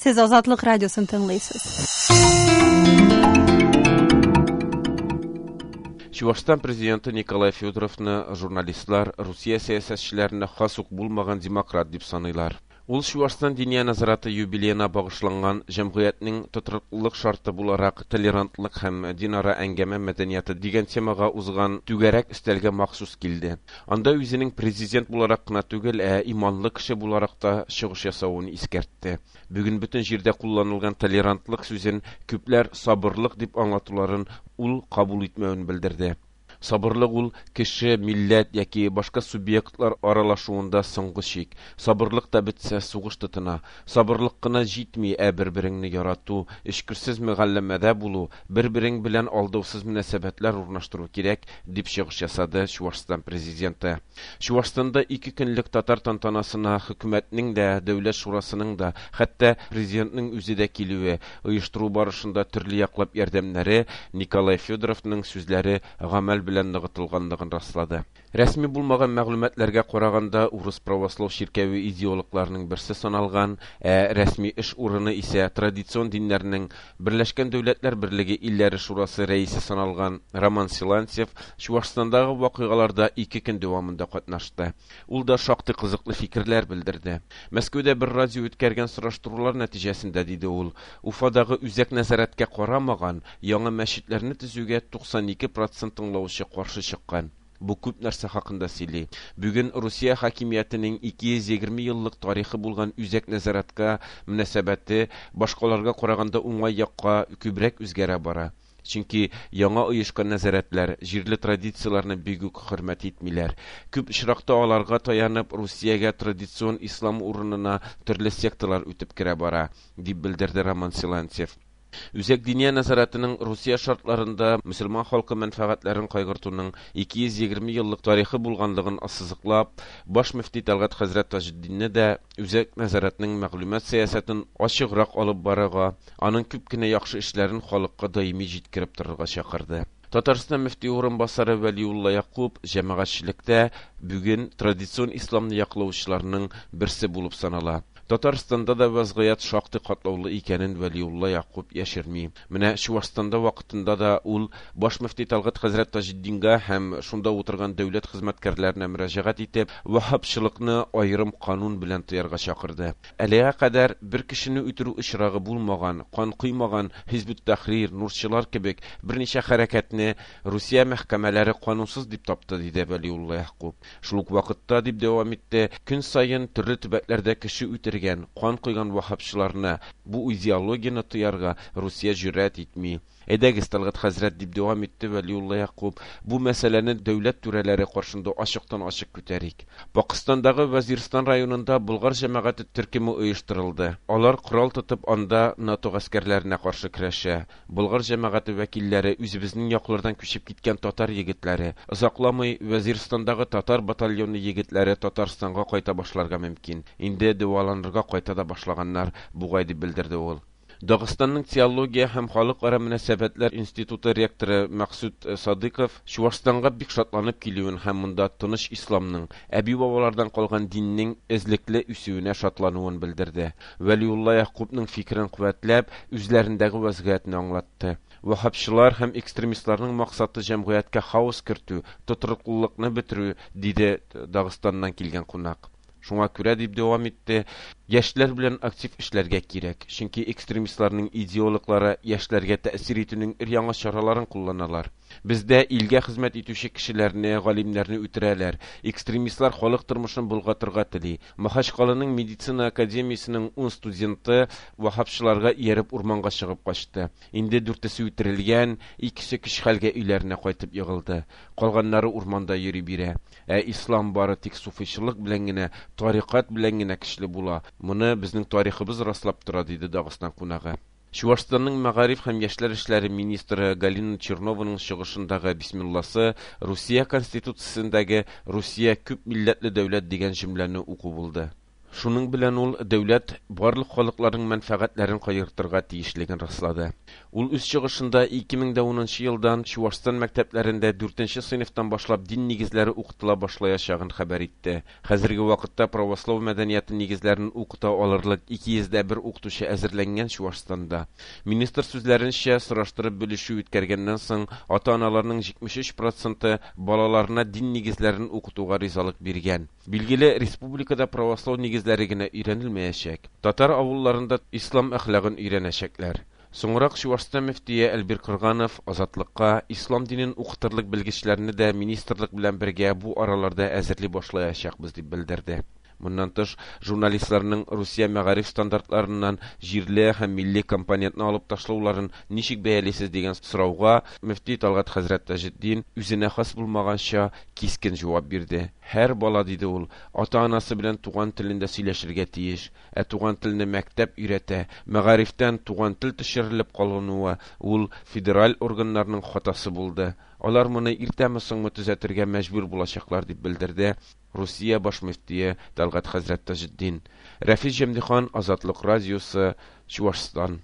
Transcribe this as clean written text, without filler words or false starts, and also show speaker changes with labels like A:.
A: Сез Азатлык радиосын тыңлыйсыз.
B: Чувашстан президенты Николай Федоровны журналистлар Русия сәясәтчеләренә хас ук булмаган демократ дип саныйлар. Ул Чувашстан Диния нәзарәте юбилеена багышланган җәмгыятьнең тотрыклылык шарты буларак толерантлык һәм динара әңгәмә мәдәнияты дигән темага узган түгәрәк өстәлгә махсус килде. Анда үзенең президент буларак кына түгел, ә иманлы кеше буларак та чыгыш ясавын искәртте. Бүген бөтен җирдә кулланылган толерантлык сүзен күпләр сабырлык дип аңлатуларын ул кабул итмәвен белдерде. Сабырлык ул кеше, милләт яки башка субъектлар аралашуында соңгы чик. Сабырлык та бетсә, сугыш тотына. Сабырлык кына җитми, ә бер-береңне ярату, эчкерсез мөгалләмәдә булу, бер-берең белән алдаусыз мөнәсәбәтләр урнаштыру кирәк, дип чыгыш ясады Чувашстан президенты. Чувашстанда ике көнлек татар тантанасына хөкүмәтнең дә, дәүләт шурасының да, хәтта президентның үзе дә килүе, оештыру барышында төрле яклап ярдәмнәре Николай Федоровның сүзләре гамәл белән ныгытылганлыгын раслады. Рәсми булмаган мәгълүматларга караганда, урыс православ чиркәве идеологларының берсе саналган, ә рәсми эш урыны исә традицион диннәрнең Берләшкән Дәүләтләр Берлеге илләре шурасы рәисе саналган Роман Силантьев Чувашстандагы вакыйгаларда ике көн дәвамында катнашты. Ул да шактый кызыклы фикерләр белдерде. Мәскәүдә бер радио үткәргән сораштырулар нәтиҗәсендә, диде ул, Уфадагы үзәк нәзарәткә карамаган яңа мәчетләрне төзүгә 92 процент тыңлаучы каршы чыккан. Бу күп нәрсә хакында сөйли. Бүген Русия хакимиятенең 220 еллык тарихы булган үзәк нәзарәткә мөнәсәбәте башкаларга караганда уңай якка күбрәк үзгәрә бара. Чөнки яңа оешкан нәзарәтләр җирле традицияләрне бик үк хөрмәт итмиләр. Күп очракта аларга таянып Русиягә традицион ислам урынына төрле секталар үтеп керә бара, дип белдерде Роман Силантьев. Үзәк Диния нәзарәтенең Русия шартларында мөселман халкы мәнфәгатьләрен кайгыртуның 220 еллык тарихы булганлыгын ассызыклап, баш мөфти Тәлгать хәзрәт Таҗетдинне дә Үзәк нәзарәтнең мәгълүмат сәясәтен ачыграк алып барырга, аның күп кенә яхшы эшләрен халыкка даими җиткереп торырга чакырды. Татарстан мөфти урынбасары Вәлиулла Якуб җәмәгатьчелектә бүген традицион исламны яклаучыларның берсе булып санала. Татарстанда да вәзгыять шактый катлаулы икәнен Вәлиулла Якуб яшерми. Менә Чувашстанда вакытында да ул баш мөфти Тәлгать хәзрәт Таҗетдинга һәм шунда утырган дәүләт хезмәткәрләренә мөрәҗәгать итеп, ваһһабчылыкны аерым канун белән тыярга чакырды. Әлегә кадәр бер кешене үтерү очрагы булмаган, кан коймаган Хизбут-Тәхрир, Нурчылар кебек берничә хәрәкәтне Русия мәхкәмәләре канунсыз дип тапты, диде Вәлиулла Ягъкуб. Шул ук вакытта, дип дәвам итте, көн саен төрле төбәкләрдә кеше үтергән, кан койган ваһһабчыларны, бу идеологияне тыярга Русия җөрьәт итми. Әйдәгез, Тәлгать хәзрәт, дип дәвам итте Вәлиулла Ягъкуб, бу мәсьәләне дәүләт түрәләре каршында ачыктан-ачык күтәрик. Пакыстандагы Вәзирстан районында болгар җәмәгате төркеме оештырылды. Алар корал тотып анда НАТО гаскәрләренә каршы көрәшә. Болгар җәмәгате вәкилләре, үзебезнең яклардан күчеп киткән татар егетләре. Озакламый Вәзирстандагы татар батальоны егетләре Татарстанга кайта башларга мөмкин. Инде дәваланырга кайта да башлаганнар бугай, дип белдерде ул. Дагыстанның теология һәм халыкара мөнәсәбәтләр институты ректоры Мәкъсүт Садыйков Чувашстанга бик шатланып килүен һәм монда тыныч исламның, әби-бабалардан калган диннең эзлекле үсүенә шатлануын белдерде. Вәлиулла Ягъкубның фикерен куәтләп, үзләрендәге вәзгыятьне аңлатты. Ваһһабчылар һәм экстремистларның максаты җәмгыятькә хаос кертү, тотрыклылыкны бетерү, диде Дагыстаннан килгән кунак. Шуңа күрә, дип дәвам итте, яшьләр белән актив эшләргә кирәк, чөнки экстремистларның идеологлары яшьләргә тәэсир итүнең өр-яңа чараларын кулланалар. Бездә илгә хезмәт итүче кешеләрне, галимнәрне үтерәләр. Экстремистлар халык тормышын болгатырга тели. Махачкаланың медицина академиясенең ун студенты ваһһабчыларга ияреп урманга чыгып качты. Инде дүртесе үтерелгән, икесе көч-хәлгә өйләренә кайтып егылды. Калганнары урманда йөри бирә. Ә ислам бары тик суфыйчылык белән генә, тарикать белән генә көчле була. Моны безнең тарихыбыз раслап тора, диде Дагыстан кунагы. Чувашстанның мәгариф һәм яшьләр эшләре министры Галина Чернованың чыгышындагы бисмилласы Русия Конституциясендәге Русия күп милләтле дәүләт дигән җөмләне уку булды. Шуның белән ул дәүләт барлык халыкларның мәнфәгатьләрен кайгыртырга тиешлеген раслады. Ул үз чыгышында 2010 елдан Чуашстан мәктәпләрендә 4 сыйныфтан башлап дин нигезләре укытыла башлаячагын хәбәр итте. Хәзерге вакытта православ мәдәнияте нигезләрен укыта алырлык 201 укытучы әзерләнгән Чуашстанда. Министр сүзләренчә, сораштырып белешү үткәргәннән соң, ата-аналарның 73% балаларына дин нигезләрен укытуга ризалык биргән. Билгеле, республикада православ нигезләре генә өйрәнелмәячәк. Татар авылларында ислам әхлагын өйрәнәчәкләр. Соңрак Чуашстан мөфтие Әлбир Кырганов Азатлыкка ислам динен укытырлык белгечләрне дә министрлык белән бергә бу араларда әзерли башлаячакбыз дип белдерде. Моннан тыш, журналистларның Русия мәгариф стандартларыннан җирле һәм милли компонентны алып ташлауларын ничек бәялисез дигән сорауга мөфти Талгат хәзрәт Таҗетдин үзенә хас булмаганча кискен җавап бирде. Һәр бала, диде ул, ата-анасы белән туган телендә сөйләшергә тиеш, ә туган телне мәктәп өйрәтә. Мәгарифтән туган тел төшерелеп калынуы ул федераль органнарның хатасы булды. Алар моны иртәме соңмы төзәтергә мәҗбүр булачаклар дип белдерде Русия баш мөфтие Талгат хәзрәт Таҗетдин. Рәфис Җәмдихан, Азатлык радиосы, Чуашстан.